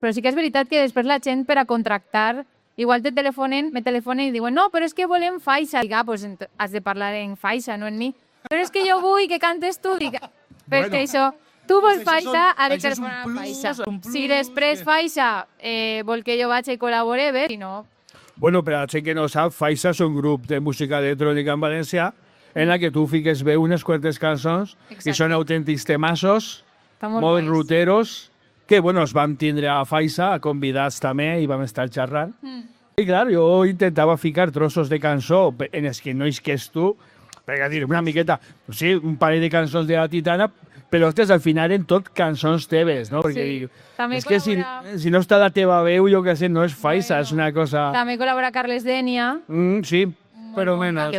Però sí que és veritat que després la gent per a contractar, igual me telefonen i diuen no, però és que volem faixa. Dic, pues has de parlar en faixa, no en mi. Però és que jo vull que cantes tu. Dic, però és que això, tu vols faixa, ha de telefonar amb faixa. Si després faixa vol que jo vaig i col·labore, bé, si no... Bueno, per a la gent que no sap, Faixa és un grup de música electrònica en València en la que tu fiques bé unes quantes cançons que són autèntics temassos, molt ruteros, que, bueno, els vam tindre a Faixa, a convidats també, i vam estar xerrant. I, clar, jo intentava ficar trossos de cançó en els que no isques tu, perquè dir una miqueta, sí, un parell de cançons de la Titana, però, ostres, al final en tot cançons teves, no? Perquè dic, és que si no està la teva veu, jo què sé, no és Faixa, és una cosa... També col·labora Carles Dènia. Sí, Pero menos.